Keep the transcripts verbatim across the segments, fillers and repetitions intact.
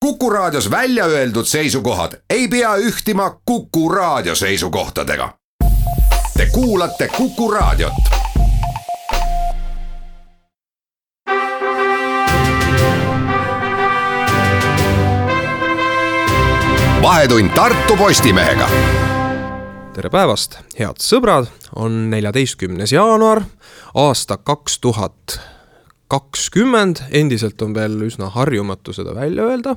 Kuku Raadios välja öeldud seisukohad ei pea ühtima Kuku Raadio seisukohtadega. Te kuulate Kuku Raadiot. Vahetund Tartu Postimehega. Tere päevast, head sõbrad, on neljateistkümnes jaanuar, aasta kaks tuhat kakskümmend, endiselt on veel üsna harjumatu seda välja öelda,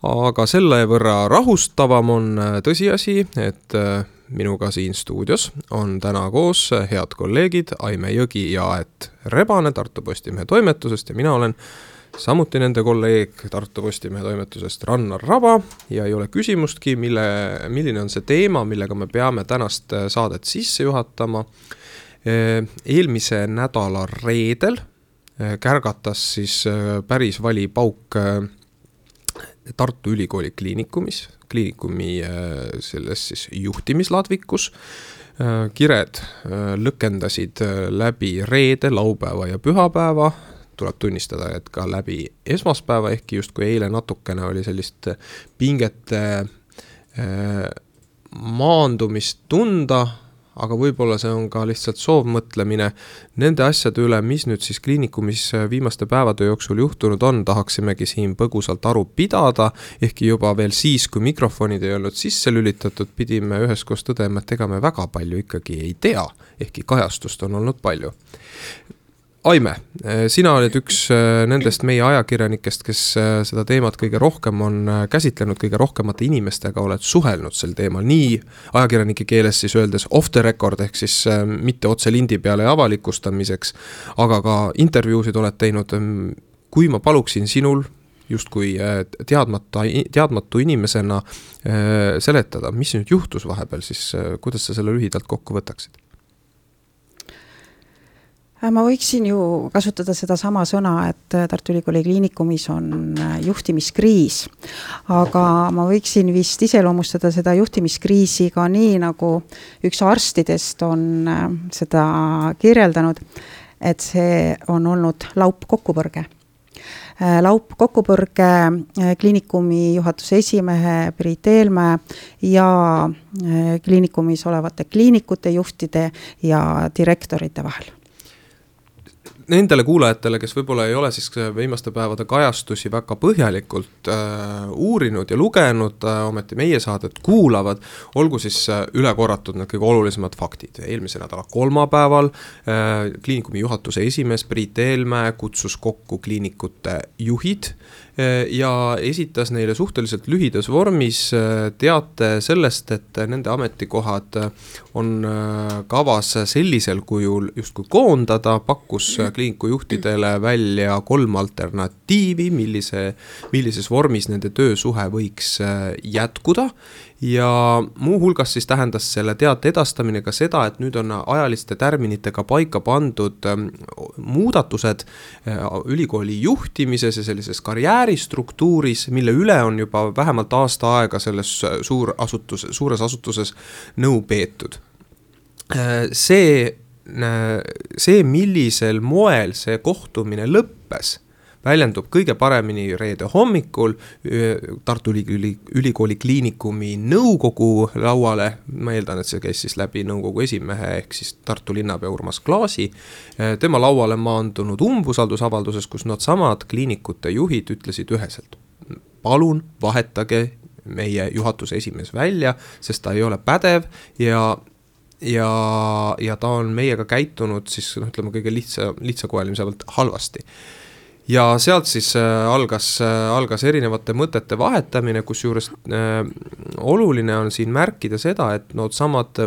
aga selle võrra rahustavam on tõsiasi, et minuga siin stuudios on täna koos head kolleegid Aime Jõgi ja Aet Rebane Tartu Postimehe toimetusest ja mina olen samuti nende kolleeg Tartu Postimehe toimetusest Rannar Raba ja ei ole küsimustki, mille, milline on see teema, millega me peame tänast saadet sisse juhatama. Eelmise nädala reedel kärgatas siis päris vali pauk Tartu Ülikooli kliinikumis, kliinikumi selles siis juhtimisladvikus. Kired lõkendasid läbi reede, laupäeva ja pühapäeva. Tuleb tunnistada, et ka läbi esmaspäeva, ehkki just kui eile natukene oli sellist pingete maandumist tunda, aga võib-olla see on ka lihtsalt soovmõtlemine nende asjade üle, mis nüüd siis kliinikumis viimaste päevade jooksul juhtunud on, tahaksimegi siin põgusalt aru pidada, ehkki juba veel siis, kui mikrofonid ei olnud sisse lülitatud, pidime üheskoos tõdema, et ega me väga palju ikkagi ei tea, ehkki kajastust on olnud palju. Aime, sina oled üks nendest meie ajakirjanikest, kes seda teemat kõige rohkem on käsitlenud, kõige rohkemate inimestega oled suhelnud sel teemal, nii ajakirjanike keeles siis öeldes off the record, ehk siis mitte otse lindi peale avalikustamiseks, aga ka intervjuusid oled teinud. Kui ma paluksin sinul justkui teadmata, teadmatu inimesena seletada, mis nüüd juhtus vahepeal, siis kuidas sa selle lühidalt kokku võtaksid? Ma võiksin ju kasutada seda sama sõna, et Tartu Ülikooli kliinikumis on juhtimiskriis, aga ma võiksin vist iseloomustada seda juhtimiskriisi ka nii, nagu üks arstidest on seda kirjeldanud, et see on olnud laup kokkupõrge. Laup kokkupõrge kliinikumi juhatuse esimehe Priit Eelmäe ja kliinikumis olevate kliinikute juhtide ja direktorite vahel. Nendele kuulajatele, kes võib-olla ei ole siis viimaste päevade kajastusi väga põhjalikult äh, uurinud ja lugenud, äh, ometi meie saadet kuulavad, olgu siis äh, üle korratud need kõige olulisemad faktid. Eelmise nädala kolmapäeval äh, kliinikumi juhatuse esimees Priit Eelmäe kutsus kokku kliinikute juhid äh, ja esitas neile suhteliselt lühidas vormis äh, teate sellest, et nende ametikohad on äh, kavas sellisel kujul justkui koondada, pakkus kliiniku juhtidele välja kolm alternatiivi, millise, millises vormis nende töösuhe võiks jätkuda ja muu hulgas siis tähendas selle teate edastamine ka seda, et nüüd on ajaliste tärminitega paika pandud muudatused ülikooli juhtimises ja sellises karjääristruktuuris, mille üle on juba vähemalt aasta aega selles suur asutus, suures asutuses nõu peetud. See See, millisel moel see kohtumine lõppes, väljendub kõige paremini reede hommikul Tartu Ülikooli kliinikumi nõukogu lauale. Ma eeldan, et see käis siis läbi nõukogu esimehe ehk siis Tartu linnapea Urmas Klaasi. Tema lauale maandunud umbusaldusavalduses, kus nad samad kliinikute juhid ütlesid üheselt. Palun vahetage meie juhatuse esimees välja, sest ta ei ole pädev ja Ja, ja ta on meiega käitunud siis no, ütleme kõige lihtsa, lihtsakoelimiselt halvasti. Ja sealt siis algas, algas erinevate mõtete vahetamine, kus juures äh, oluline on siin märkida seda, et no samad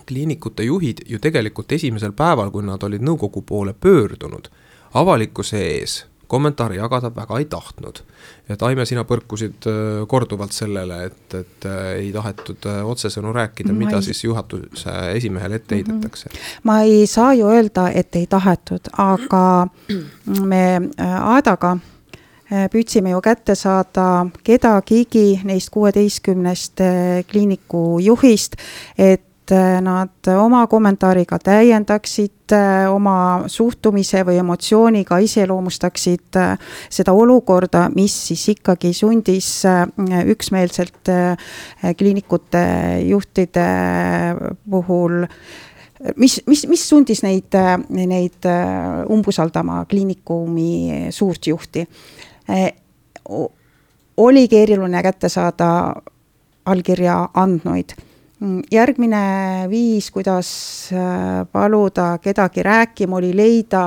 kliinikute juhid ju tegelikult esimesel päeval, kui nad olid nõukogu poole pöördunud, avalikkuse ees kommentaari jagada väga ei tahtnud. Et Aime, sina põrkusid korduvalt sellele, et, et ei tahetud otsesõnu rääkida, ma mida ei... siis juhatuse esimehele ette heidetakse. Ma ei saa ju öelda, et ei tahetud, aga me Aadaga püüdsime ju kätte saada kedagigi neist kuueteistkümnest kliiniku juhist, et nad oma kommentaariga täiendaksid, oma suhtumise või emotsiooniga iseloomustaksid seda olukorda, mis siis ikkagi sundis üksmeelselt kliinikute juhtide puhul, mis, mis, mis sundis neid, neid umbusaldama kliinikumi suurt juhti. Oli keeruline kätte saada allkirja andnuid. Järgmine viis, kuidas paluda kedagi rääkima, oli leida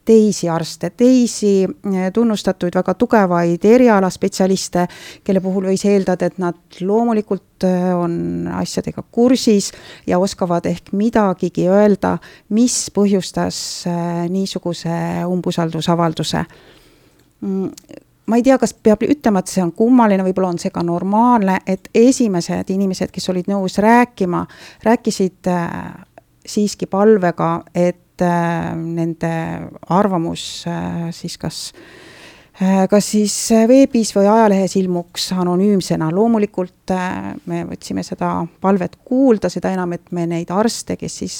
teisi arste, teisi tunnustatud väga tugevaid erialaspetsialiste, kelle puhul võis eeldada, et nad loomulikult on asjadega kursis ja oskavad ehk midagigi öelda, mis põhjustas niisuguse umbusaldusavalduse. Ma ei tea, kas peab ütlema, et see on kummaline, võib-olla on see ka normaalne, et esimesed inimesed, kes olid nõus rääkima, rääkisid siiski palvega, et nende arvamus siis kas, kas siis veebis või ajalehes ilmuks anonüümsena. Loomulikult me võtsime seda palvet kuulda, seda enam, et me neid arste, kes siis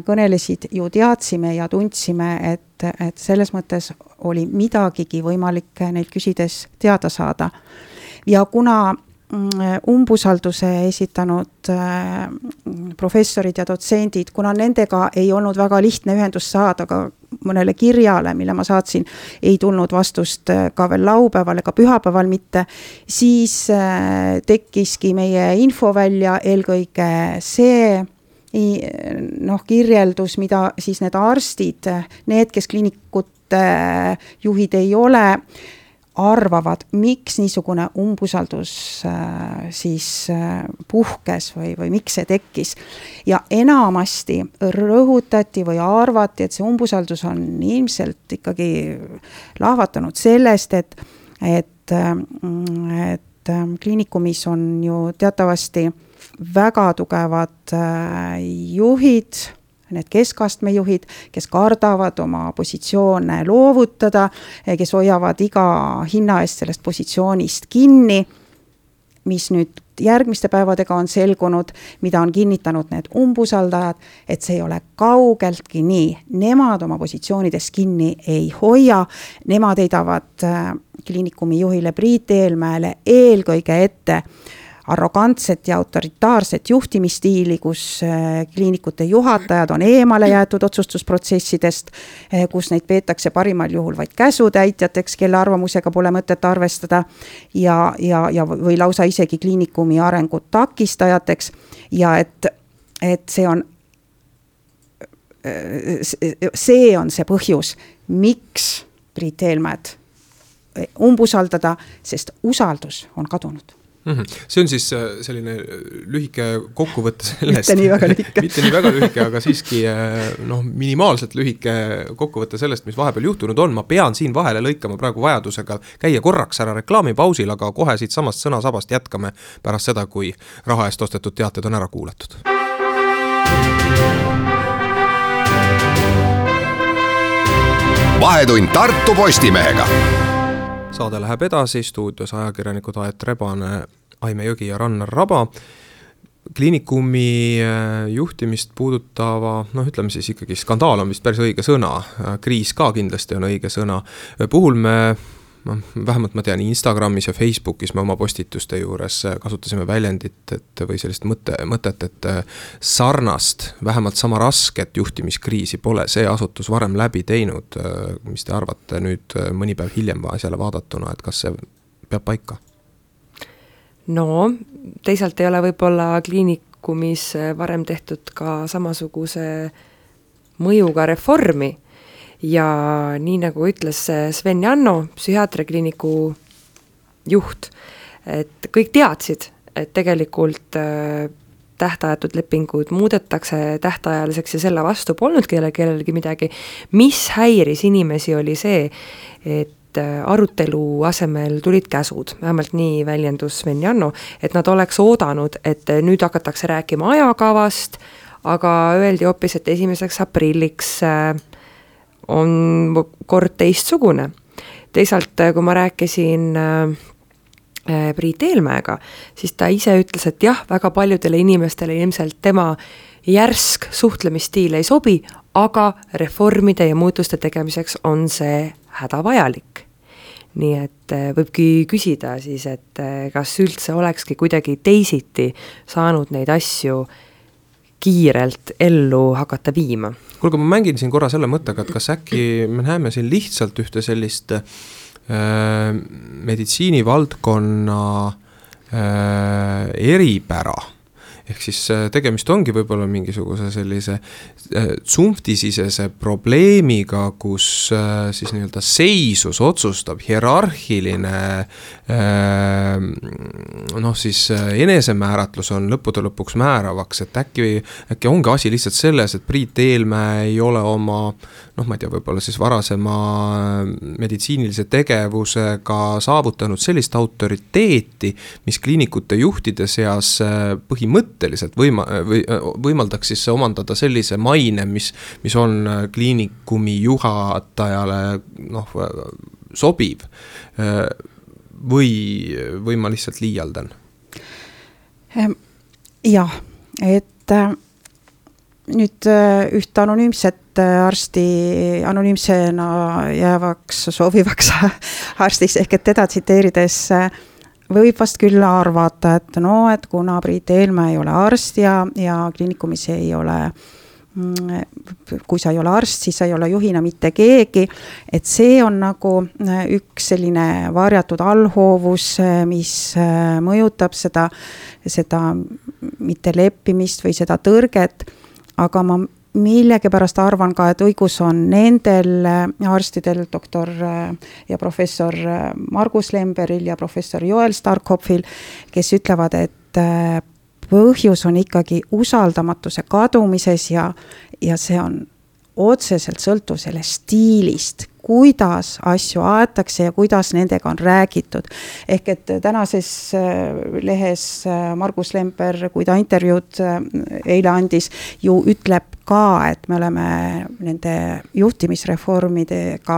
kõnelesid, ju teadsime ja tundsime, et, et selles mõttes oli midagigi võimalik neid küsides teada saada. Ja kuna umbusalduse esitanud professorid ja dotsendid, kuna nendega ei olnud väga lihtne ühendust saada, aga mõnele kirjale, mille ma saatsin, ei tulnud vastust ka veel laupäeval ega pühapäeval mitte, siis tekkiski meie info välja eelkõige see, noh, kirjeldus, mida siis need arstid, need, kes kliinikute juhid ei ole, arvavad, miks niisugune umbusaldus siis puhkes või, või miks see tekkis. Ja enamasti rõhutati või arvati, et see umbusaldus on ilmselt ikkagi lahvatanud sellest, et, et, et kliinikumis on ju teatavasti väga tugevad juhid, need keskastme juhid, kes kardavad oma positsioone loovutada, kes hoiavad iga hinna eest sellest positsioonist kinni, mis nüüd järgmiste päevadega on selgunud, mida on kinnitanud need umbusaldajad, et see ei ole kaugeltki nii. Nemad oma positsioonidest kinni ei hoia, nemad heidavad kliinikumi juhile Priit Eelmäele eelkõige ette arrogantset ja autoritaarset juhtimisstiili, kus kliinikute juhatajad on eemale jäetud otsustusprotsessidest, kus neid peetakse parimal juhul vaid käsutäitjateks, kelle arvamusega pole mõtet arvestada ja, ja, ja või lausa isegi kliinikumi arengut takistajateks ja et, et see on see on see põhjus, miks Priit Eelmäed umbusaldada, sest usaldus on kadunud. See on siis selline lühike kokkuvõte sellest. Mitte nii väga lühike. Mitte nii väga lühike, aga siiski no, minimaalselt lühike kokkuvõte sellest, mis vahepeal juhtunud on. Ma pean siin vahele lõikama praegu vajadusega käia korraks ära reklaamipausil, aga kohe siit samast sõnasabast jätkame pärast seda, kui raha eest ostetud teated on ära kuulatud. Vahetund Tartu Postimehega. Saade läheb edasi, stuudios ajakirjanikud Aet Rebane, Aime Jõgi ja Rannar Raba. Kliinikumi juhtimist puudutava, noh ütleme siis ikkagi skandaal on vist päris õige sõna, kriis ka kindlasti on õige sõna. Puhul me, vähemalt ma tean Instagramis ja Facebookis me oma postituste juures kasutasime väljendit et, või sellist mõte, mõtet, et sarnast, vähemalt sama rasket juhtimiskriisi pole see asutus varem läbi teinud. Mis te arvate nüüd mõni päev hiljem asjale vaadatuna, et kas see peab paika? No, teisalt ei ole võib-olla kliinikumis varem tehtud ka samasuguse mõjuga reformi. Ja nii nagu ütles Sven Janno, psühhiaatriakliiniku juht, et kõik teadsid, et tegelikult tähtajatud lepingud muudetakse tähtajaliseks ja selle vastu polnud kelle, kellelgi midagi. Mis häiris inimesi oli see, et arutelu asemel tulid käsud, vähemalt nii väljendus Sven Janno, et nad oleks oodanud, et nüüd hakatakse rääkima ajakavast, aga öeldi hoopis, et esimeseks aprilliks on kord teistsugune. Teisalt, kui ma rääkisin Priit Eelmäega, siis ta ise ütles, et jah, väga paljudele inimestele ilmselt tema järsk suhtlemisstiil ei sobi, aga reformide ja muutuste tegemiseks on see hädavajalik. Nii et võibki küsida siis, et kas üldse olekski kuidagi teisiti saanud neid asju kiirelt ellu hakata viima. Kuulge, ma mängin siin korra selle mõttega, et kas äkki me näeme siin lihtsalt ühte sellist meditsiinivaldkonna eripära, ehk siis tegemist ongi võib-olla mingisuguse sellise tsumptisisese probleemiga, kus siis nii-öelda seisus otsustab hierarhiline noh siis enesemääratlus on lõppude lõpuks määravaks, et äkki, äkki ongi asi lihtsalt selles, et Priit Eelmäe ei ole oma noh, ma ei tea, võib-olla siis varasema meditsiinilise tegevusega saavutanud sellist autoriteeti, mis kliinikute juhtide seas põhimõtteliselt võima, või, võimaldaks siis omandada sellise maine, mis, mis on kliinikumi juhatajale noh, sobiv või, või ma lihtsalt liialdan? Jah, et nüüd üht anonüümset arsti anonüümsena jäävaks soovivaks arstiks ehk et teda tsiteerides võib vast küll arvata, et no, et kuna Priit Eelmäe ei ole arst ja, ja kliinikumis ei ole, kui sa ei ole arst, siis sa ei ole juhina mitte keegi, et see on nagu üks selline varjatud allhoovus, mis mõjutab seda, seda mitte leppimist või seda tõrget, aga ma millegipärast arvan ka, et õigus on nendel arstidel, doktor ja professor Margus Lemberil ja professor Joel Starkopfil, kes ütlevad, et põhjus on ikkagi usaldamatuse kadumises ja, ja see on otseselt sõltuv sellest stiilist, kuidas asju aetakse ja kuidas nendega on räägitud. Ehk et tänases lehes Margus Lember, kui ta intervjuud eile andis, ju ütleb ka, et me oleme nende juhtimisreformidega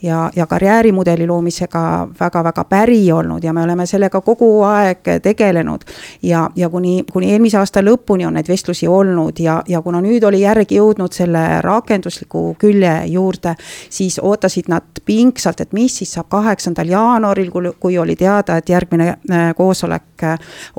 ja, ja karjäärimudeli loomisega väga-väga päri olnud ja me oleme sellega kogu aeg tegelenud ja, ja kuni, kuni eelmise aasta lõpuni on neid vestlusi olnud ja, ja kuna nüüd oli järgi jõudnud selle rakendusliku külje juurde, siis ootasid nad pingsalt, et mis siis saab kaheksandal jaanuaril, kui oli teada, et järgmine koosolek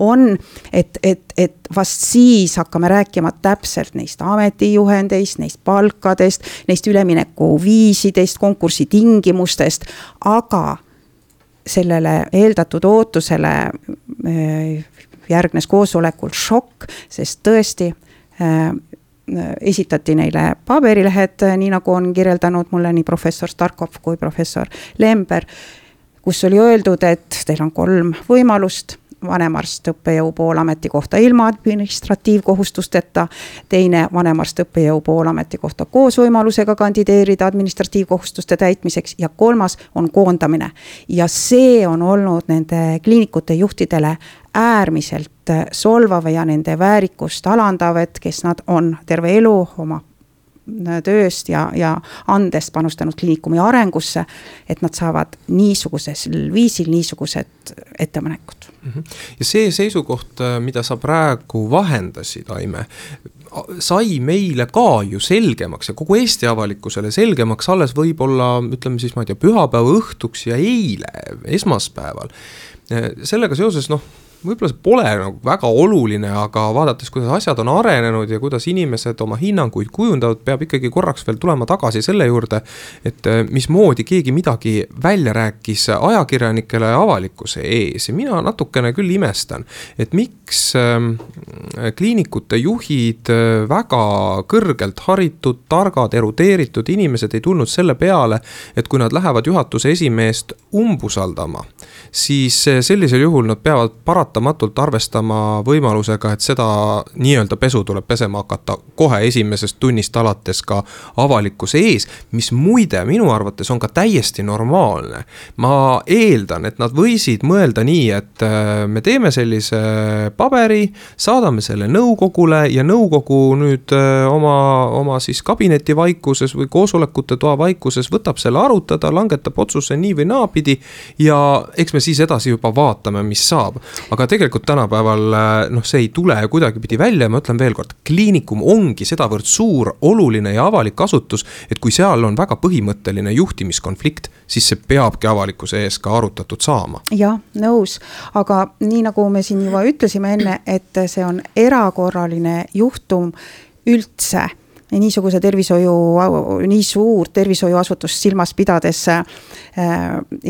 on, et, et, et vast siis hakkame rääkima täpselt neist ametijuhendeist, neist palkadest, neist ülemineku viisidest, konkursi tingimustest, aga sellele eeldatud ootusele järgnes koosolekul šokk, sest tõesti esitati neile paberilehed, nii nagu on kirjeldanud mulle nii professor Starkopf kui professor Lember, kus oli öeldud, et teil on kolm võimalust, vanemarst õppejõu poolameti kohta ilma administratiivkohustusteta, teine vanemarst õppejõu poolameti kohta koos võimalusega kandideerida administratiivkohustuste täitmiseks ja kolmas on koondamine. Ja see on olnud nende kliinikute juhtidele äärmiselt solvav ja nende väärikust alandav, et kes nad on terve elu oma tööst ja, ja andest panustanud kliinikumi arengusse, et nad saavad niisuguses viisil niisugused ettepanekud. Ja see seisukoht, mida sa praegu vahendasid, Aime, sai meile ka ju selgemaks ja kogu Eesti avalikkusele selgemaks alles võib-olla, ütleme siis, ma ei tea, pühapäeva õhtuks ja eile, esmaspäeval. Sellega seoses, noh, võib-olla see pole nagu väga oluline, aga vaadates, kuidas asjad on arenenud ja kuidas inimesed oma hinnanguid kujundavad, peab ikkagi korraks veel tulema tagasi selle juurde, et mismoodi keegi midagi välja rääkis ajakirjanikele ja avalikkuse ees. Ja mina natukene küll imestan, et miks kliinikute juhid, väga kõrgelt haritud, targad, erudeeritud inimesed ei tulnud selle peale, et kui nad lähevad juhatuse esimeest umbusaldama, siis sellisel juhul nad peavad parat paratamatult arvestama võimalusega, et seda nii-öelda pesu tuleb pesema hakata kohe esimesest tunnist alates ka avalikkuse ees, mis muide minu arvates on ka täiesti normaalne. Ma eeldan, et nad võisid mõelda nii, et me teeme sellise paberi, saadame selle nõukogule ja nõukogu nüüd oma, oma siis kabineti vaikuses või koosolekute toa vaikuses võtab selle arutada, langetab otsuse nii või naapidi ja eks me siis edasi juba vaatame, mis saab. Aga tegelikult tänapäeval noh, see ei tule kuidagipidi välja ja ma ütlen veel kord, kliinikum ongi sedavõrd suur, oluline ja avalik asutus, et kui seal on väga põhimõtteline juhtimiskonflikt, siis see peabki avalikkuse ees ka arutatud saama. Jah, nõus, aga nii nagu me siin juba ütlesime enne, et see on erakorraline juhtum üldse, niisuguse tervishoiu, nii suur tervishoiuasutust silmas pidades äh,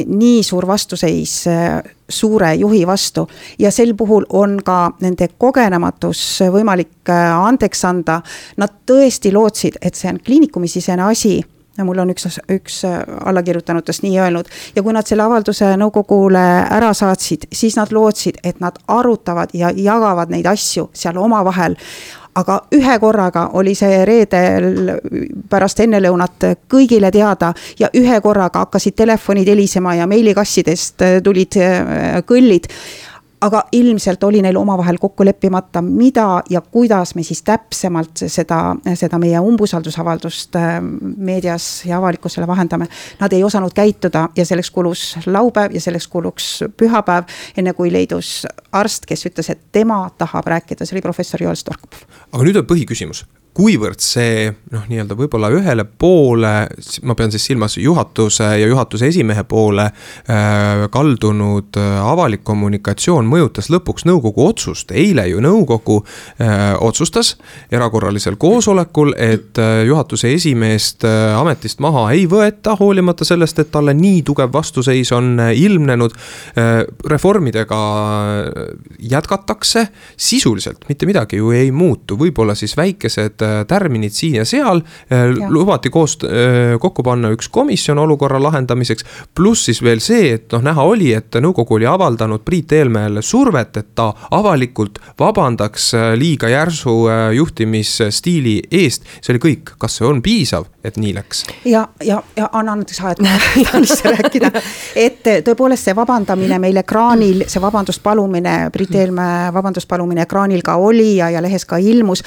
nii suur vastuseis äh, suure juhi vastu ja sel puhul on ka nende kogenematus võimalik äh, andeks anda. Nad tõesti lootsid, et see on kliinikumisisene asi ja mul on üks, üks allakirjutanutest nii öelnud ja kui nad selle avalduse nõukogule ära saatsid, siis nad lootsid, et nad arutavad ja jagavad neid asju seal omavahel. Aga ühe korraga oli see reedel pärast ennelõunat kõigile teada ja ühe korraga hakkasid telefonid helisema ja meilikassidest tulid kõllid. Aga ilmselt oli neil omavahel kokku leppimata, mida ja kuidas me siis täpsemalt seda, seda meie umbusaldusavaldust meedias ja avalikkusele vahendame. Nad ei osanud käituda ja selleks kulus laupäev ja selleks kuluks pühapäev, enne kui leidus arst, kes ütles, et tema tahab rääkida, see oli professor Joel Storkop. Aga nüüd on põhiküsimus. Kuivõrd see, noh, nii-öelda võib-olla ühele poole, ma pean siis silmas juhatuse ja juhatuse esimehe poole äh, kaldunud äh, avalik kommunikatsioon mõjutas lõpuks nõukogu otsust. Eile ju nõukogu äh, otsustas erakorralisel koosolekul, et äh, juhatuse esimeest äh, ametist maha ei võeta, hoolimata sellest, et talle nii tugev vastuseis on äh, ilmnenud. Äh, reformidega jätkatakse sisuliselt, mitte midagi ju ei muutu, võib-olla siis väikesed tärminid siin ja seal, ja. Lubati koos, kokku panna üks komisjon olukorra lahendamiseks, pluss siis veel see, et noh, näha oli, et nõukogu oli avaldanud Priit Eelmäele survet, et ta avalikult vabandaks liiga järsu juhtimisstiili eest. See oli kõik, kas see on piisav, et nii läks? Ja, ja, ja anna näiteks aeg rääkida, et tõepoolest see vabandamine meile kraanil, see vabandust palumine, Priit Eelmäe vabandust palumine kraanil ka oli ja, ja lehes ka ilmus,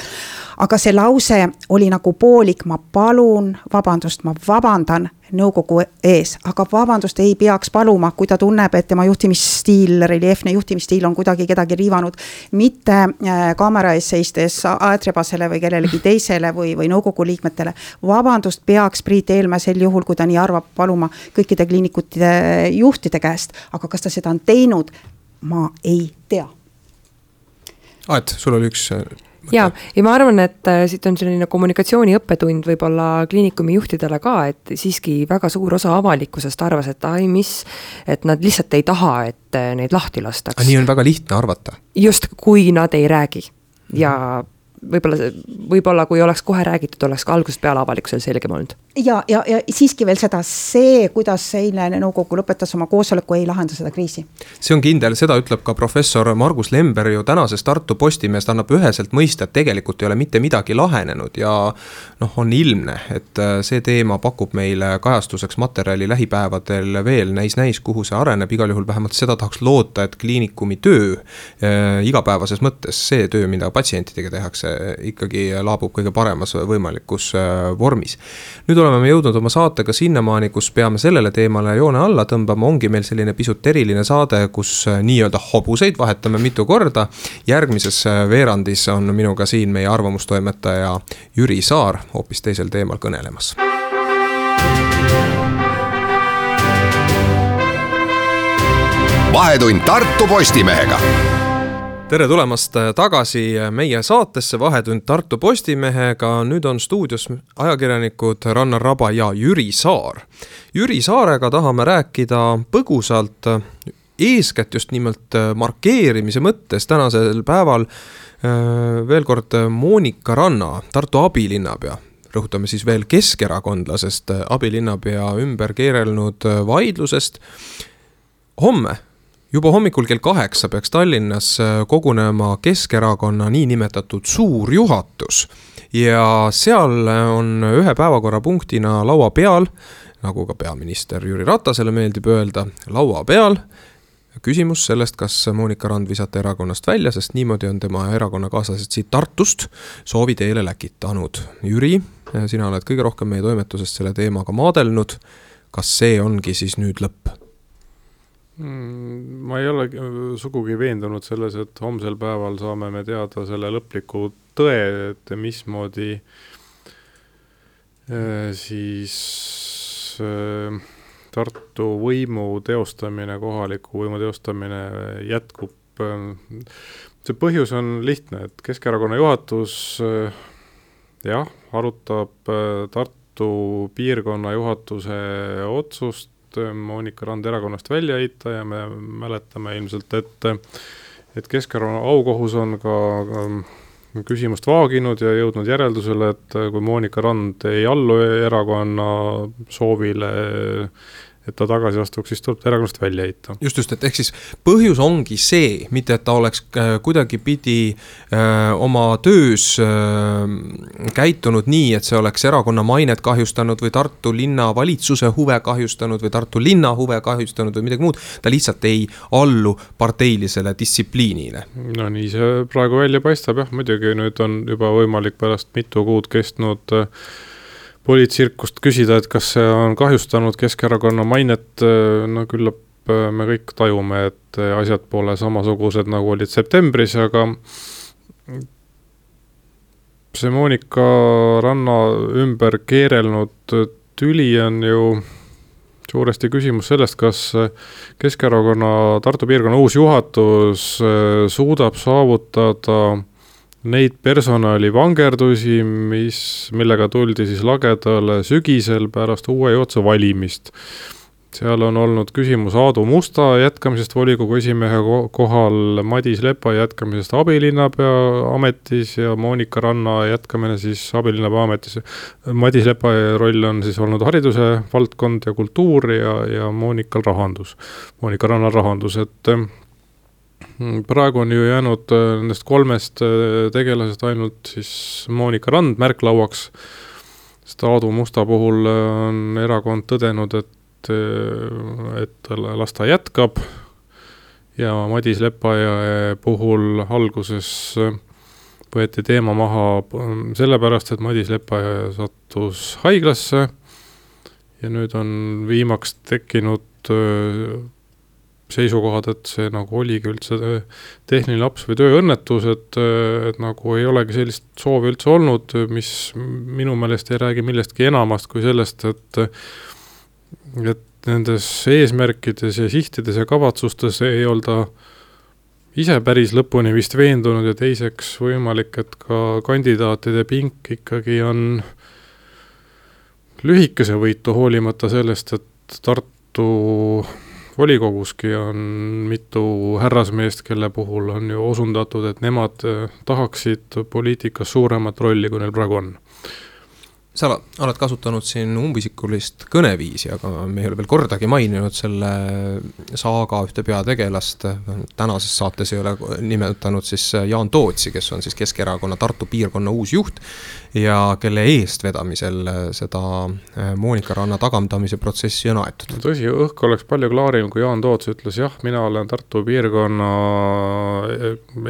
aga see lause oli nagu poolik, ma palun vabandust, ma vabandan nõukogu ees, aga vabandust ei peaks paluma, kui ta tunneb, et tema juhtimisstiil, reljeefne juhtimisstiil on kuidagi kedagi riivanud, mitte kaamera ees seistes aetrebasele või kellelegi teisele või, või nõukogu liikmetele. Vabandust peaks Priit Eelmäe sel juhul, kui ta nii arvab, paluma kõikide kliinikutide juhtide käest, aga kas ta seda on teinud, ma ei tea. Aet, sul oli üks... Ja, ja ma arvan, et siit on selline kommunikatsiooni õppetund võib-olla kliinikumi juhtidele ka, et siiski väga suur osa avalikkusest arvas, et ai mis, et nad lihtsalt ei taha, et neid lahti lastaks. Aga nii on väga lihtne arvata. Just, kui nad ei räägi. Ja võib-olla, võib-olla kui oleks kohe räägitud, oleks ka algusest peale avalikkusel selgem olnud. Ja, ja, ja siiski veel seda, see, kuidas eile nõukogu lõpetas oma koosoleku, ei lahenda seda kriisi. See on kindel, seda ütleb ka professor Margus Lember ju tänases Tartu Postimees, ta annab üheselt mõista, et tegelikult ei ole mitte midagi lahenenud ja noh, on ilmne, et see teema pakub meile kajastuseks materjali lähipäevadel veel näis-näis, kuhu see areneb, igal juhul vähemalt seda tahaks loota, et kliinikumi töö äh, igapäevases mõttes, see töö, mida patsientidega tehakse, ikkagi laabub kõige paremas võimalikus äh, vormis. Nüüd oleme me jõudnud oma saatega sinnamaani, kus peame sellele teemale joone alla tõmbama, ongi meil selline pisut eriline saade, kus nii-öelda hobuseid vahetame mitu korda. Järgmises veerandis on minuga siin meie arvamustoimetaja Jüri Saar hoopis teisel teemal kõnelemas. Vahetund Tartu Postimehega. Tere tulemast tagasi meie saatesse Vahetund Tartu Postimehega. Nüüd on stuudios ajakirjanikud Rannar Raba ja Jüri Saar. Jüri Saarega tahame rääkida põgusalt eeskätt just nimelt markeerimise mõttes tänasel päeval veel kord Moonika Ranna, Tartu abilinnapea. Rõhutame siis veel keskerakondlasest abilinnapea ümber keerelnud vaidlusest. Homme juba hommikul kell kaheksa peaks Tallinnas kogunema Keskerakonna niinimetatud suurjuhatus ja seal on ühe päevakorrapunktina laua peal, nagu ka peaminister Jüri Ratasele meeldib öelda, laua peal küsimus sellest, kas Monika Rand visata erakonnast välja, sest niimoodi on tema erakonnakaaslased siit Tartust soovi teele läkitanud. Jüri, sina oled kõige rohkem meie toimetusest selle teemaga maadelnud. Kas see ongi siis nüüd lõpp? Ma ei ole sugugi veendunud selles, et homsel päeval saame me teada selle lõpliku tõe, et mismoodi siis Tartu võimu teostamine, kohaliku võimu teostamine jätkub. See põhjus on lihtne, et Keskerakonna juhatus jah, arutab Tartu piirkonna juhatuse otsust Monika Rand erakonnast välja heita ja me mäletame ilmselt, et, et Keskerakonna aukohus on ka küsimust vaaginud ja jõudnud järeldusele, et kui Monika Rand ei allu erakonna soovile, et ta tagasi astuks, siis tuleb ta erakonnast välja heita. Just just, et ehk siis põhjus ongi see, mitte et ta oleks kuidagi pidi öö, oma töös öö, käitunud nii, et see oleks erakonna mainet kahjustanud või Tartu linna valitsuse huve kahjustanud või Tartu linna huve kahjustanud või midagi muud. Ta lihtsalt ei allu parteilisele distsipliinile. No nii see praegu välja paistab, jah, muidugi nüüd on juba võimalik pärast mitu kuud kestnud poliitsirkust küsida, et kas see on kahjustanud Keskerakonna mainet, no küllap me kõik tajume, et asjad pole samasugused nagu olid septembris, aga see Monika Ranna ümber keerelnud tüli on ju suuresti küsimus sellest, kas Keskerakonna Tartu piirkonna uus juhatus suudab saavutada neid personali vangerdusi, mis, millega tuldi siis lagedale sügisel pärast uue juhatuse valimist. Seal on olnud küsimus Aadu Musta jätkamisest volikogu esimehe kohal, Madis Lepa jätkamisest abilinnapea ametis ja Monika Ranna jätkamine siis abilinnapea ametis. Madis Lepa roll on siis olnud hariduse valdkond ja kultuur ja, ja Monikal rahandus. Monika Ranna rahandus, et praegu on ju jäänud nendest kolmest tegelasest ainult siis Monika Rand märklauaks, sest Aadu Musta puhul on erakond tõdenud, et, et las ta jätkab ja Madis Lepa puhul alguses võeti teema maha sellepärast, et Madis Lepa sattus haiglasse ja nüüd on viimaks tekkinud seisukohad, et see nagu oligi üldse tehniline laps või tööõnnetus, et, et nagu ei olegi sellist soovi üldse olnud, mis minu meelest ei räägi millestki enamast kui sellest, et, et nendes eesmärkides ja sihtides ja kavatsustes ei olda ise päris lõpuni vist veendunud ja teiseks võimalik, et ka kandidaatide pink ikkagi on lühikese võitu hoolimata sellest, et Tartu volikoguski on mitu härrasmeest, kelle puhul on ju osundatud, et nemad tahaksid poliitikas suuremat rolli, kui neil praegu on. Sa oled kasutanud siin umbisikulist kõneviisi, aga me ei ole veel kordagi maininud selle saaga ühte peategelast. Tänases saates ei ole nimetanud siis Jaan Tootsi, kes on siis Keskerakonna Tartu piirkonna uus juht ja kelle eest vedamisel seda Monika Ranna tagandamise protsessi on aetud. Tõsi, õhk oleks palju klaarim, kui Jaan Toots ütles, jah, mina olen Tartu piirkonna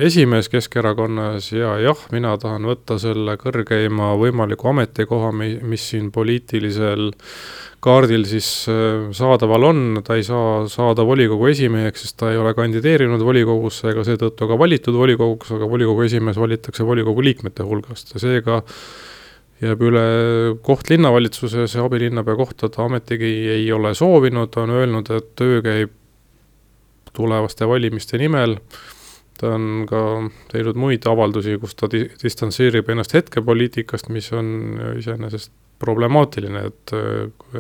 esimees Keskerakonnas ja jah, mina tahan võtta selle kõrgeima võimaliku ametikoha, mis siin poliitilisel kaardil siis saadaval on, ta ei saa saada volikogu esimeheks, sest ta ei ole kandideerinud volikogusse ega seetõttu ka valitud volikoguks, aga volikogu esimees valitakse volikogu liikmete hulgast ja seega jääb üle koht linnavalitsuses ja abilinnapea kohta ta ametigi ei ole soovinud, ta on öelnud, et töö käib tulevaste valimiste nimel. Ta on ka teinud muid avaldusi, kus ta distantseerib ennast hetkepoliitikast, mis on iseenesest problemaatiline, et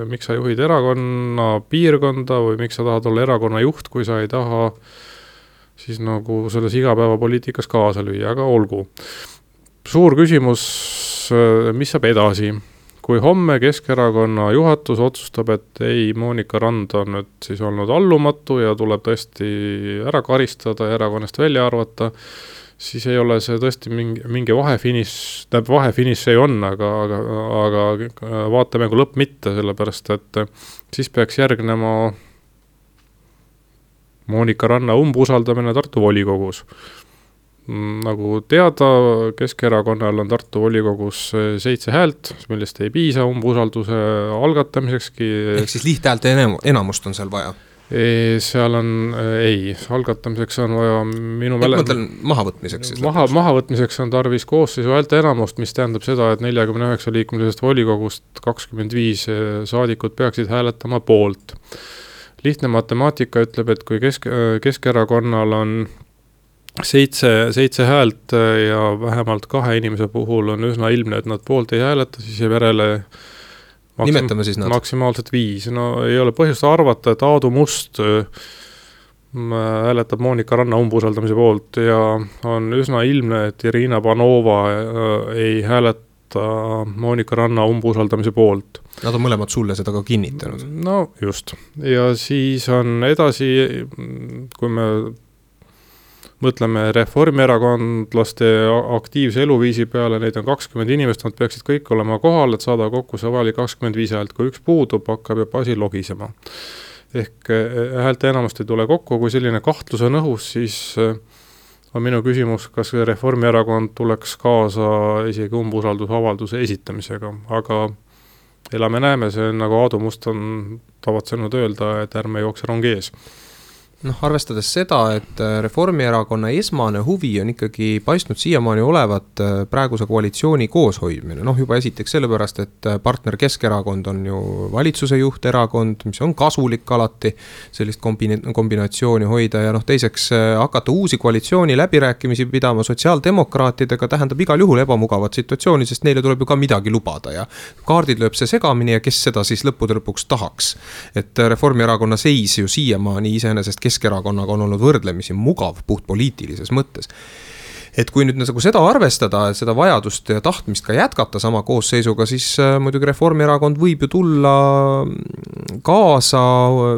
miks sa juhid erakonna piirkonda või miks sa tahad olla erakonna juht, kui sa ei taha siis nagu selles igapäevapoliitikas kaasa lüüa, aga olgu. Suur küsimus, mis saab edasi? kui homme Keskerakonna juhatus otsustab, et ei, Monika Rand on nüüd siis olnud allumatu ja tuleb tõesti ära karistada ja erakonnast välja arvata, siis ei ole see tõesti mingi, mingi vahefiniš, tähendab vahefiniš ei on, aga, aga, aga vaatemängu lõpp mitte, sellepärast et siis peaks järgnema Monika Ranna umbusaldamine Tartu volikogus. Nagu teada, Keskerakonnal on Tartu volikogus seitse häält, millest ei piisa umbusalduse algatamisekski. Ehk siis lihthäälte enamust on seal vaja? Ei, seal on, ei, algatamiseks on vaja minu mäle... Ma mõtlen mahavõtmiseks siis? Maha, mahavõtmiseks on tarvis koosseisu häälte enamust, mis tähendab seda, et neljakümne üheksa liikmelisest volikogust kakskümmend viis saadikud peaksid hääletama poolt. Lihtne matemaatika ütleb, et kui Kesk, Keskerakonnal on seitse, seitse häält ja vähemalt kahe inimese puhul on üsna ilmne, et nad poolt ei hääleta, siis jääb järele maksim, nimetame siis nad. Maksimaalselt viis. No ei ole põhjust arvata, et Aadu Must hääletab Monika Ranna umbusaldamise poolt ja on üsna ilmne, et Irina Panova ei hääleta Monika Ranna umbusaldamise poolt. Nad on mõlemad sulle seda ka kinnitanud. No just. Ja siis on edasi, kui me mõtleme reformierakondlaste aktiivse eluviisi peale, neid on kakskümmend inimest, nad peaksid kõik olema kohal, et saada kokku see vajalik kakskümmend viis häält. Kui üks puudub, hakkab juba asi logisema. Ehk häälte enamast ei tule kokku, kui selline kahtlus on õhus, siis on minu küsimus, kas Reformierakond tuleks kaasa isegi umbusaldusavalduse esitamisega. Aga elame näeme, see on nagu Aadu Must on tavatsenud öelda, et ärme jookse rongi ees. Noh, arvestades seda, et Reformierakonna esmane huvi on ikkagi paistnud siiamaani olevat praeguse koalitsiooni kooshoidmine. Noh, juba esiteks sellepärast, et partner Keskerakond on ju valitsuse juhterakond, mis on kasulik alati sellist kombina- kombinatsiooni hoida ja noh, teiseks hakata uusi koalitsiooni läbirääkimisi pidama sotsiaaldemokraatidega tähendab igal juhul ebamugavat situatsiooni, sest neile tuleb ju ka midagi lubada ja kaardid lööb see segamini ja kes seda siis lõppude lõpuks tahaks. Et Reformierakonna seis ju siiamaani iseenesest Keskerakonnaga on olnud võrdlemisi mugav puht poliitilises mõttes. Et kui nüüd nagu seda arvestada, seda vajadust ja tahtmist ka jätkata sama koosseisuga, siis muidugi Reformierakond võib ju tulla kaasa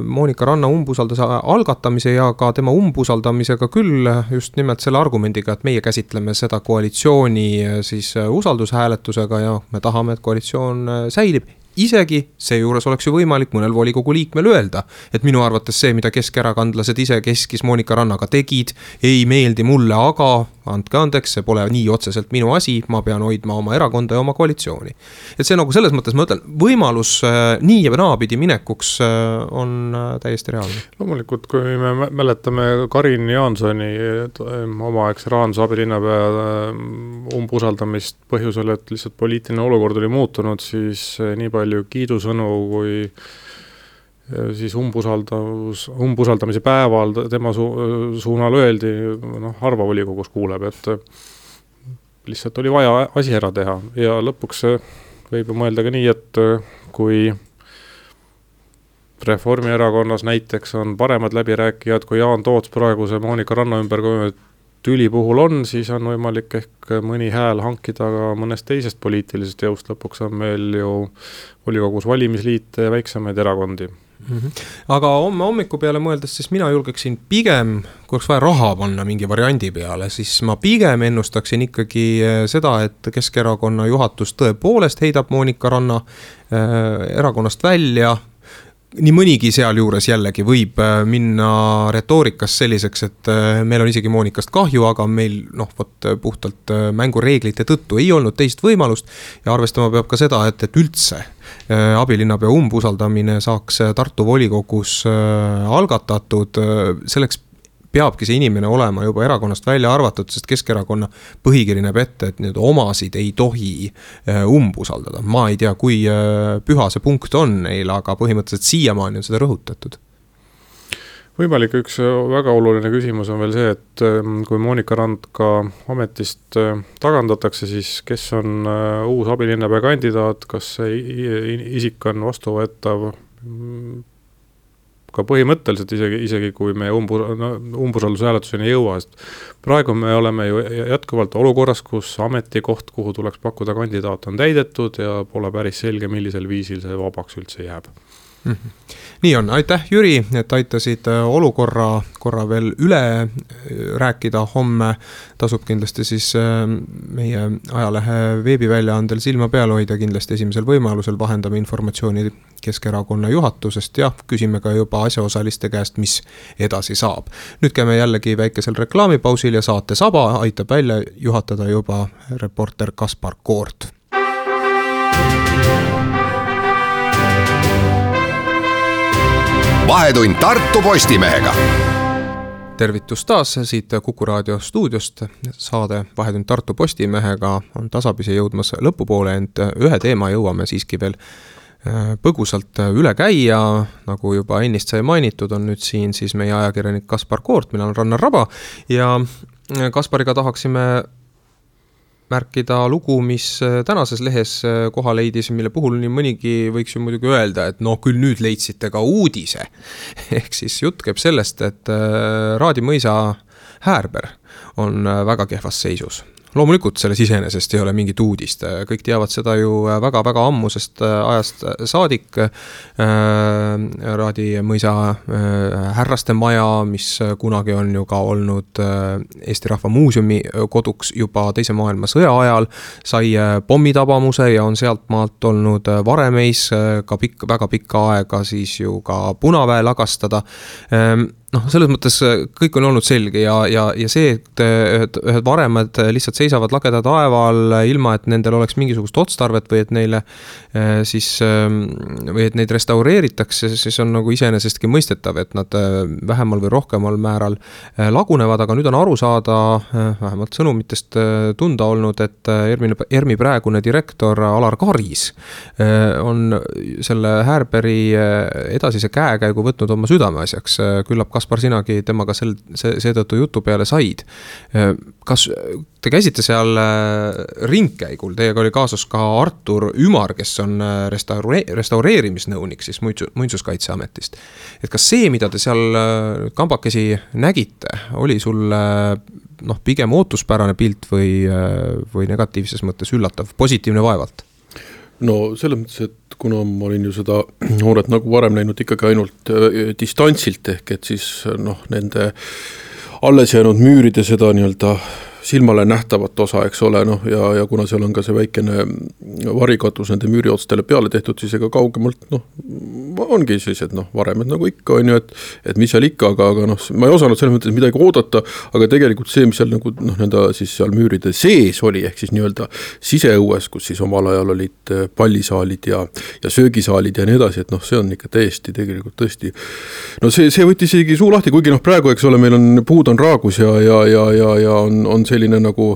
Monika Ranna umbusalduse algatamise ja ka tema umbusaldamisega küll just nimelt selle argumendiga, et meie käsitleme seda koalitsiooni siis usaldushääletusega ja me tahame, et koalitsioon säilib. Isegi seejuures oleks ju võimalik mõnel volikogu liikmel öelda, et minu arvates see, mida keskerakondlased ise keskis Monika Rannaga tegid, ei meeldi mulle, aga andke andeks, see pole nii otseselt minu asi, ma pean hoidma oma erakonda ja oma koalitsiooni. Et see nagu selles mõttes, ma ütlen, võimalus nii ja naapidi minekuks on täiesti reaalne. Loomulikult, kui me mäletame Karin Jaansoni omaaegse rahandusabilinnapea umbusaldamist põhjusel, et lihtsalt poliitiline olukord oli muutunud, siis nii palju kiidusõnu kui siis umbusaldus, umbusaldamise päeval tema su, suunal öeldi, noh, harva volikogus kuuleb, et lihtsalt oli vaja asi ära teha ja lõpuks võib ju mõelda ka nii, et kui Reformierakonnas näiteks on paremad läbirääkijad, kui Jaan Toots praeguse Monika Ranna ümber tüli puhul on, siis on võimalik ehk mõni hääl hankida ka mõnest teisest poliitilisest jõust. Lõpuks on meil ju volikogus valimisliite ja väiksemaid erakondi. Mm-hmm. Aga homme hommiku peale mõeldes, siis mina julgeksin pigem, kui oleks vaja raha panna mingi variandi peale, siis ma pigem ennustaksin ikkagi seda, et Keskerakonna juhatus tõepoolest heidab Monika Ranna äh, erakonnast välja. Nii mõnigi seal juures jällegi võib minna retoorikas selliseks, et meil on isegi Monikast kahju, aga meil noh, võt, puhtalt mängureeglite tõttu ei olnud teist võimalust ja arvestama peab ka seda, et, et üldse abilinnapea umbusaldamine saaks Tartu volikogus algatatud, selleks peabki see inimene olema juba erakonnast välja arvatud, sest Keskerakonna põhikiri näeb ette, et need omasid ei tohi umbusaldada. Ma ei tea, kui püha see punkt on neil, aga põhimõtteliselt siiamaani on seda rõhutatud. Võimalik üks väga oluline küsimus on veel see, et kui Monika Rand ka ametist tagandatakse, siis kes on uus abilinnapea kandidaat, kas see isik on vastuvõetav ka põhimõtteliselt isegi, isegi kui me umbus, no, umbusaldushääletuseni ei jõua, sest praegu me oleme ju jätkuvalt olukorras, kus ametikoht, kuhu tuleks pakkuda kandidaat, on täidetud ja pole päris selge, millisel viisil see vabaks üldse jääb. Mm-hmm. Nii on, aitäh Jüri, et aitasid olukorra korra veel üle rääkida. Homme tasub kindlasti siis meie ajalehe veebiväljaandel silma peal hoida, kindlasti esimesel võimalusel vahendame informatsiooni Keskerakonna juhatusest ja küsime ka juba asjaosaliste käest, mis edasi saab. Nüüd käime jällegi väikesel reklaamipausil ja saate saba aitab välja juhatada juba reporter Kaspar Koort. Vahetund Tartu Postimehega. Tervitus taas siit Kuku Raadio stuudiost. Saade Vahetund Tartu Postimehega on tasapisi jõudmas lõpupoole, ent ühe teema jõuame siiski veel põgusalt üle käia. Nagu juba ennist sai mainitud, on nüüd siin siis meie ajakirjanik Kaspar Koort, mina olen Rannar Raba ja Kaspariga tahaksime märkida lugu, mis tänases lehes koha leidis, mille puhul nii mõnigi võiks ju muidugi öelda, et no küll nüüd leidsite ka uudise. Ehk siis jutt käib sellest, et Raadi mõisa Häärber on väga kehvas seisus. Loomulikult selles iseenesest ei ole mingit uudist, kõik teavad seda ju väga-väga ammusest ajast saadik. Raadi mõisa härraste maja, mis kunagi on ju ka olnud Eesti Rahva Muuseumi koduks juba teise maailmasõja ajal, sai pommitabamuse ja on sealt maalt olnud varemeis ka pikk, väga pikka aega siis ju ka Punaväe lagastada. noh, selles mõttes kõik on olnud selge ja, ja, ja see, et ühed, ühed varemad lihtsalt seisavad lageda taeval ilma, et nendel oleks mingisugust otstarvet või et neile siis, või et neid restaureeritakse, siis on nagu iseenesestki mõistetav, et nad vähemal või rohkemal määral lagunevad, aga nüüd on aru saada, vähemalt sõnumitest tunda olnud, et Ermi, Ermi praegune direktor Alar Karis on selle Häärberi edasise käekäigu võtnud oma südameasjaks. Küllap Kaspar, sinagi temaga sel, see, seetõttu jutu peale said. Kas te käisite seal ringkäigul? Teiega oli kaasus ka Artur Ümar, kes on restaure, restaureerimisnõunik siis Muinsuskaitseametist. Et kas see, mida te seal kambakesi nägite, oli sul noh, pigem ootuspärane pilt või, või negatiivses mõttes üllatav, positiivne vaevalt? No selles mõttes, et kuna ma olin ju seda nooret nagu varem näinud ikkagi ainult distantsilt ehk, et siis noh, nende alles jäänud müüride seda nii-öelda silmale nähtavat osa, eks ole, noh, ja, ja kuna seal on ka see väikene varikatus nende müüriotstele peale tehtud, siis ega kaugemalt, noh, ongi sellised, noh, varemed nagu ikka on ju, et, et mis seal ikka, aga, aga noh, ma ei osanud selles mõttes midagi oodata, aga tegelikult see, mis seal nagu, noh, nende siis seal müüride sees oli, ehk siis nii-öelda siseõues, kus siis omal ajal olid pallisaalid ja, ja söögisaalid ja nii edasi, et noh, see on ikka täiesti, tegelikult tõesti, no see, see võttis isegi suu lahti, kuigi noh, praegu, eks ole, meil on, puud on raagus ja, ja, ja, ja, ja on, on selline nagu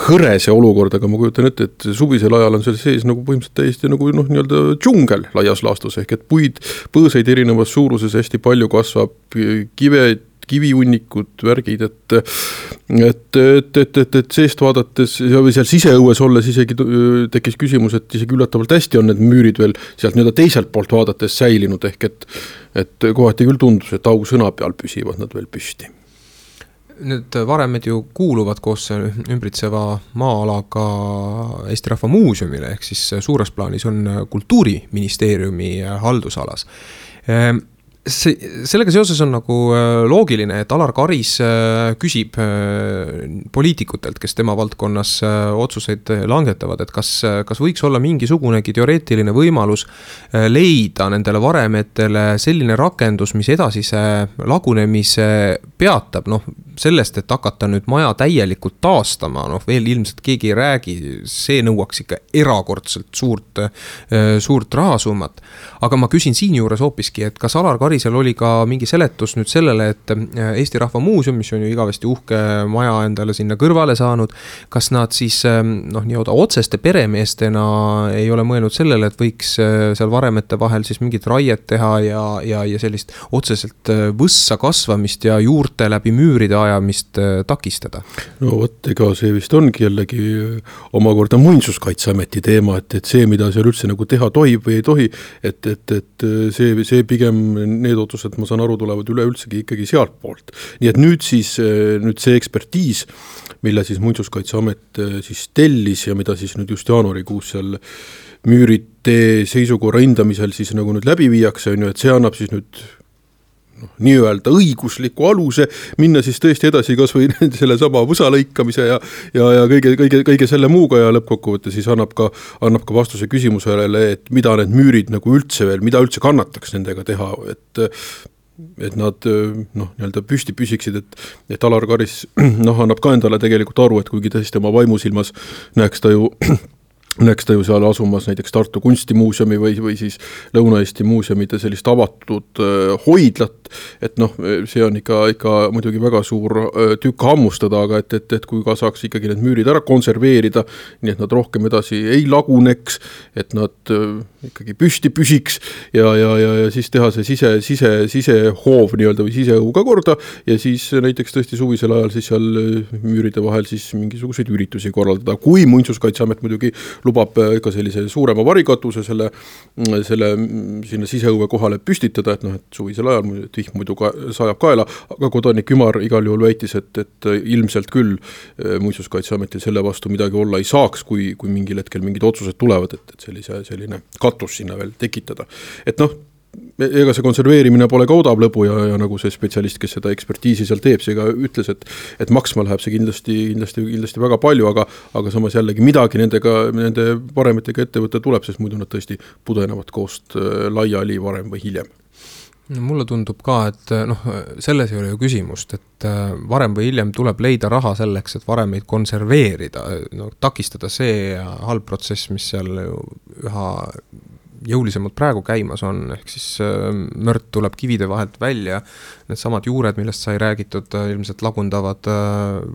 hõre see olukord, aga ma kujutan ette, et suvisel ajal on seal sees nagu põhimõtteliselt täiesti nagu noh, nii-öelda džungel laias laastus, ehk et puid, põõseid erinevas suuruses hästi palju kasvab, kive, kiviunnikud, värgid, et et, et, et, et, et seest vaadates ja või seal siseõues olles isegi tekkis küsimus, et isegi üllatavalt hästi on need müürid veel sealt nii-öelda teiselt poolt vaadates säilinud, ehk et, et kohati küll tundus, et augusõna peal püsivad nad veel püsti. Need varemed ju kuuluvad koos ümbritseva maa-alaga Eesti Rahva Muuseumile, ehk siis suures plaanis on Kultuuriministeeriumi haldusalas. See, sellega seoses on nagu loogiline, et Alar Karis küsib poliitikutelt, kes tema valdkonnas otsuseid langetavad, et kas, kas võiks olla mingisugunegi teoreetiline võimalus leida nendele varemetele selline rakendus, mis edasise lagunemise peatab, noh, sellest, et hakata nüüd maja täielikult taastama, noh, veel ilmselt keegi ei räägi, see nõuaks ikka erakordselt suurt, suurt rahasummat. Aga ma küsin siin juures hoopiski, et kas Alar Karisel oli ka mingi seletus nüüd sellele, et Eesti Rahva Muuseum, mis on ju igavesti uhke maja endale sinna kõrvale saanud, kas nad siis noh, nii-oda otseste peremeestena ei ole mõelnud sellele, et võiks seal varemete vahel siis mingit raiet teha ja, ja, ja sellist otseselt võssa kasvamist ja juurte läbi müüride asjaajamist takistada? No vot, ega see vist ongi jällegi omakorda Muinsuskaitseameti teema, et, et see, mida seal üldse nagu teha tohib või ei tohi, et, et, et see, see pigem need otsused, ma saan aru, tulevad üleüldsegi ikkagi sealt poolt. Nii et nüüd siis, nüüd see ekspertiis, mille siis Muinsuskaitseamet siis tellis ja mida siis nüüd just jaanuarikuus seal müürite seisukorra hindamisel siis nagu nüüd läbi viiakse, on ju, et see annab siis nüüd noh, nii-öelda õigusliku aluse minna siis tõesti edasi kas või selle sama võsa lõikamise ja, ja, ja kõige, kõige, kõige selle muuga ja lõppkokkuvõtte siis annab ka, annab ka vastuse küsimusele, et mida need müürid nagu üldse veel, mida üldse kannataks nendega teha, et et nad noh, nii-öelda püsti püsiksid, et, et Alar Karis noh, annab ka endale tegelikult aru, et kuigi tõesti oma vaimusilmas näeks ta ju näeks ta ju seal asumas näiteks Tartu kunstimuuseumi või, või siis Lõuna-Eesti muuseumide sellist avatud äh, hoidlat, et noh, see on ikka, ikka muidugi väga suur äh, tükk hammustada, aga et, et, et kui ka saaks ikkagi need müürid ära konserveerida, nii et nad rohkem edasi ei laguneks, et nad äh, ikkagi püsti püsiks ja, ja, ja, ja siis teha see sise, sise, sisehoov nii-öelda või siseõu ka korda ja siis näiteks tõesti suvisel ajal siis seal müüride vahel siis mingisuguseid üritusi korraldada, kui Muinsuskaitseamet muidugi lubab ka sellise suurema varikatuse selle, selle sinna siseõue kohale püstitada, et noh, et suvisel ajal vihm muidu ka, sajab kaela, aga kodanik Ümar igal juhul väitis, et, et ilmselt küll Muinsuskaitseametil selle vastu midagi olla ei saaks, kui, kui mingil hetkel mingid otsused tulevad, et, et sellise, selline katus sinna veel tekitada. Et noh, ega see konserveerimine pole ka odav lõbu ja, ja nagu see spetsialist, kes seda ekspertiisi seal teeb, see ka ütles, et, et maksma läheb see kindlasti, kindlasti, kindlasti väga palju, aga, aga samas jällegi midagi nendega, nende varemetega ettevõtte tuleb, sest muidu nad tõesti pudenevad koost laiali varem või hiljem. No, mulle tundub ka, et noh, selles ei ole ju küsimust, et varem või hiljem tuleb leida raha selleks, et varemeid konserveerida, no, takistada see halb protsess, mis seal ju üha jõulisemalt praegu käimas on, ehk siis mört tuleb kivide vahelt välja, need samad juured, millest sai räägitud, ilmselt lagundavad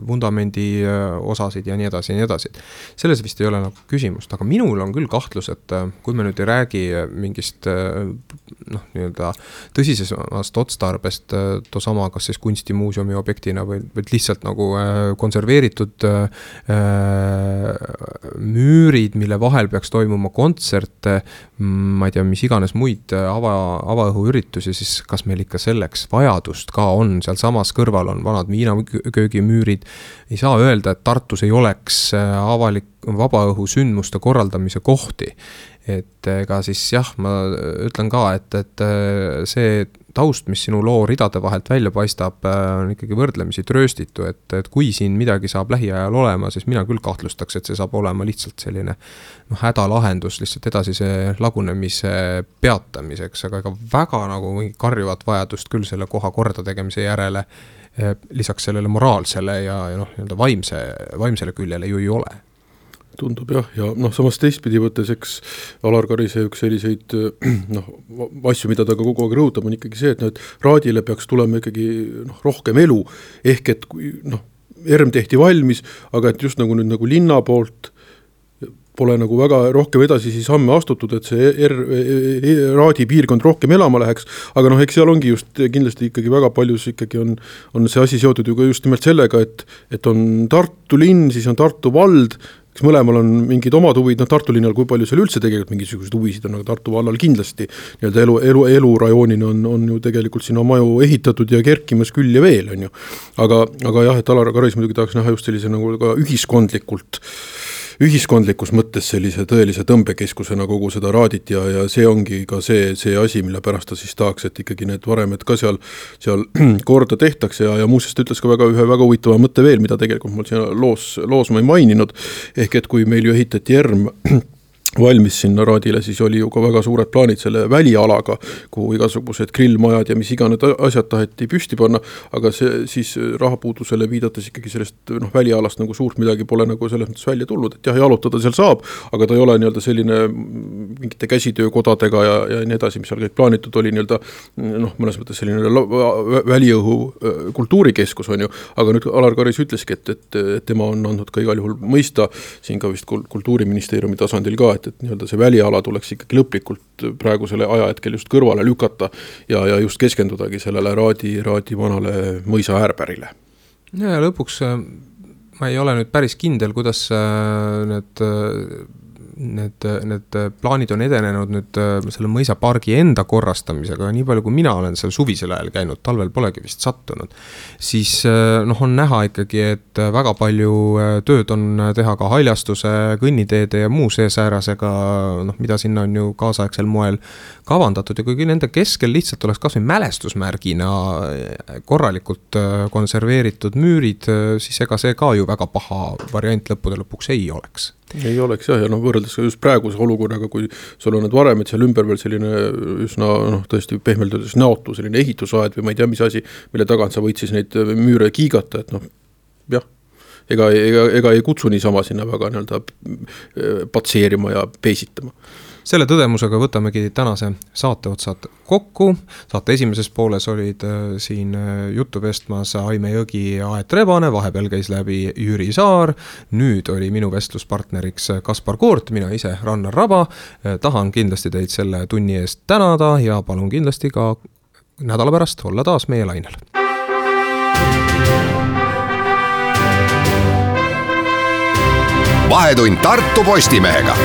vundamendi osasid ja nii edasi ja nii edasi. Selles vist ei ole nagu küsimust, aga minul on küll kahtlus, et kui me nüüd ei räägi mingist noh, nii-öelda tõsisest otstarbest tosama, kas siis kunstimuuseumi objektina või, või lihtsalt nagu konserveeritud müürid, mille vahel peaks toimuma kontserte, ma ei tea, mis iganes muid ava, avaõhuüritusi, siis kas meil ikka selleks vajadust ka on, seal samas kõrval on vanad viinaköögimüürid, ei saa öelda, et Tartus ei oleks avalik vabaõhu sündmuste korraldamise kohti, et ega siis jah, ma ütlen ka, et, et see taust, mis sinu loo ridade vahelt välja paistab, on ikkagi võrdlemisi trööstitu, et, et kui siin midagi saab lähiajal olema, siis mina küll kahtlustaks, et see saab olema lihtsalt selline noh, hädalahendus lihtsalt edasise lagunemise peatamiseks, aga ega väga nagu karjuvat vajadust küll selle koha korda tegemise järele, lisaks sellele moraalsele ja, ja noh, nii-öelda vaimse, vaimsele küljele ju ei ole. Tundub jah, ja noh, samas teistpidi võttes, eks Alar Karise üks selliseid noh, asju, mida ta ka kogu aeg rõhutab, on ikkagi see, et, no, et raadile peaks tulema ikkagi noh, rohkem elu, ehk et kui noh, ERM tehti valmis, aga et just nagu nüüd nagu linna poolt pole nagu väga rohkem edasi siis samme astutud, et see er, raadi piirkond rohkem elama läheks, aga noh, eks seal ongi just kindlasti ikkagi väga paljus ikkagi on, on see asi seotud ju ka just nimelt sellega, et, et on Tartu linn, siis on Tartu vald, kes mõlemal on mingid omad huvid, noh Tartu linnal, kui palju seal üldse tegelikult mingisugused huvisid on, aga Tartu vallal kindlasti nii-öelda elu, elu, elurajoonina on, on ju tegelikult sinna maju ehitatud ja kerkimas küll ja veel, on ju. Aga, aga jah, et Alar Karis muidugi tahaks näha just sellise nagu ka ühiskondlikult ühiskondlikus mõttes sellise tõelise tõmbekeskusena kogu seda raadit ja, ja see ongi ka see, see asi, mille pärast ta siis tahaks, et ikkagi need varemed ka seal, seal korda tehtaks ja, ja muuseas ta ütles ka väga, ühe väga huvitava mõtte veel, mida tegelikult mul siin loos, loos ma ei maininud, ehk et kui meil ju ehitati ERM valmis sinna raadile, siis oli ju ka väga suured plaanid selle välialaga, kuhu igasugused grillmajad ja mis iganes asjad taheti püsti panna, aga see siis rahapuudusele viidates ikkagi sellest noh, välialast nagu suurt midagi pole nagu selles mõttes välja tulnud, et jah, jalutada seal saab, aga ta ei ole nii-öelda selline mingite käsitöökodadega ja, ja nii edasi, mis seal kõik plaanitud oli nii-öelda noh, mõnes mõttes selline väliõhu kultuurikeskus on ju, aga nüüd Alar Karis ütleski, et, et, et tema on andnud ka igal juhul mõista siin ka vist kultuuriministeeriumi tasandil ka, et et nii-öelda see väliala tuleks ikkagi lõplikult praegusele ajahetkel just kõrvale lükata ja, ja just keskendudagi sellele raadi, raadi vanale mõisa äärpärile. ja lõpuks ma ei ole nüüd päris kindel, kuidas need Need, need plaanid on edenenud nüüd selle mõisapargi enda korrastamisega, nii palju kui mina olen seal suvisel ajal käinud, talvel polegi vist sattunud, siis noh, on näha ikkagi, et väga palju tööd on teha ka haljastuse, kõnniteede ja muu seesäärasega, noh, mida sinna on ju kaasaegsel moel kavandatud ja kuigi nende keskel lihtsalt oleks kas või mälestusmärgina korralikult konserveeritud müürid, siis ega see ka ju väga paha variant lõppude lõpuks ei oleks. Ei oleks jah, ja noh, võrreldes just praeguse olukorraga, kui sul on need varemed seal ümber veel selline üsna, noh, tõesti pehmelt öeldes näotu, selline ehitusaed või ma ei tea, mis asi, mille tagant sa võid siis neid müüre kiigata, et noh, jah, ega, ega, ega ei kutsu niisama sinna väga nii-öelda patseerima ja peesitama. Selle tõdemusega võtamegi tänase saate otsad kokku. Saate esimeses pooles olid siin juttu vestmas Aime Jõgi ja Aet Rebane, vahepeal käis läbi Jüri Saar. Nüüd oli minu vestluspartneriks Kaspar Koort, mina ise Rannar Raba. Tahan kindlasti teid selle tunni eest tänada ja palun kindlasti ka nädala pärast olla taas meie lainel. Vahetund Tartu Postimehega.